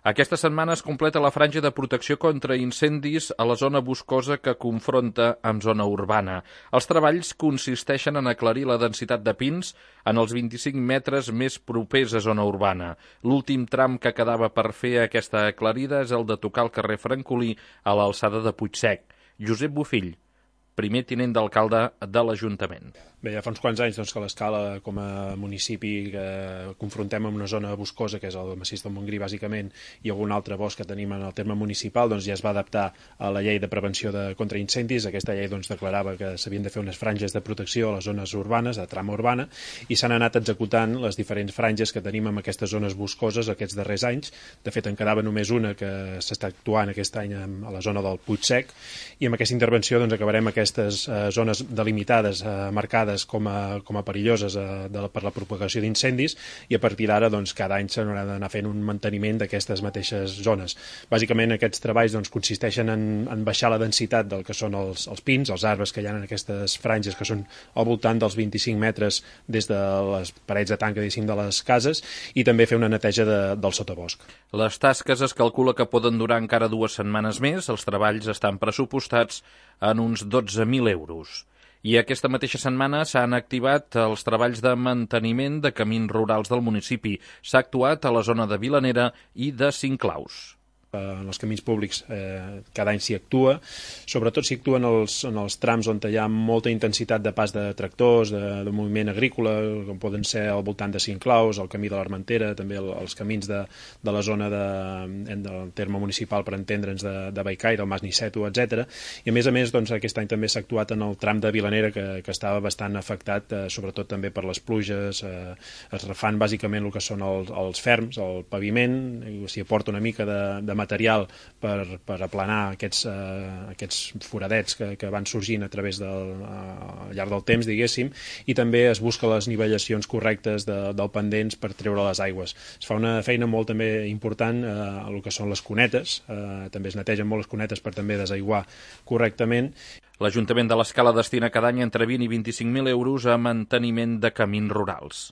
Aquesta setmana es completa la franja de protecció contra incendis a la zona boscosa que confronta amb zona urbana. Els treballs consisteixen en aclarir la densitat de pins en els 25 metres més propers a zona urbana. L'últim tram que quedava per fer aquesta aclarida és el de tocar el carrer Francolí a l'alçada de Puigsec. Josep Bofill, primer tinent d'alcalde de l'Ajuntament. Bé, ja fa uns quants anys que l'escala com a municipi que confrontem amb una zona boscosa, que és el massís del Montgrí, bàsicament, i algun altre bosc que tenim en el terme municipal, ja es va adaptar a la llei de prevenció contra incendis. Aquesta llei declarava que s'havien de fer unes franges de protecció a les zones urbanes, de trama urbana, i s'han anat executant les diferents franges que tenim en aquestes zones boscoses aquests darrers anys. De fet, en quedava només una que s'està actuant aquest any a la zona del Puigsec, i amb aquesta intervenció acabarem aquestes zones delimitades, marcades com a perilloses per la propagació d'incendis, i a partir d'ara cada any s'haurà d'anar fent un manteniment d'aquestes mateixes zones. Bàsicament aquests treballs consisteixen en baixar la densitat del que són els pins, els arbres que hi ha en aquestes franges, que són al voltant dels 25 metres des de les parets de tanca de les cases, i també fer una neteja del sotabosc. Les tasques es calcula que poden durar encara 2 setmanes més. Els treballs estan pressupostats en uns 12.000 euros. I aquesta mateixa setmana s'han activat els treballs de manteniment de camins rurals del municipi. S'ha actuat a la zona de Vilanera i de Cinclaus. En els camins públics cada any s'hi actua, sobretot s'hi actua en els trams on hi ha molta intensitat de pas de tractors, de moviment agrícola, com poden ser al voltant de Cinclaus, el camí de l'Armentera, també els camins de la zona del terme municipal, per entendre'ns, de Bellcaire, el Mas Niceto, etc. I a més, aquest any també s'ha actuat en el tram de Vilanera, que estava bastant afectat, sobretot també per les pluges. Es refan bàsicament el que són els ferms, el paviment, s'hi aporta una mica de material per aplanar aquests foradets que van sorgint a través al llarg del temps, diguéssim, i també es busca les nivellacions correctes del pendents per treure les aigües. Es fa una feina molt també important a el que són les cunetes, també es netegen molt les cunetes per també desaiguar correctament. L'Ajuntament de l'Escala destina cada any entre 20 i 25.000 euros a manteniment de camins rurals.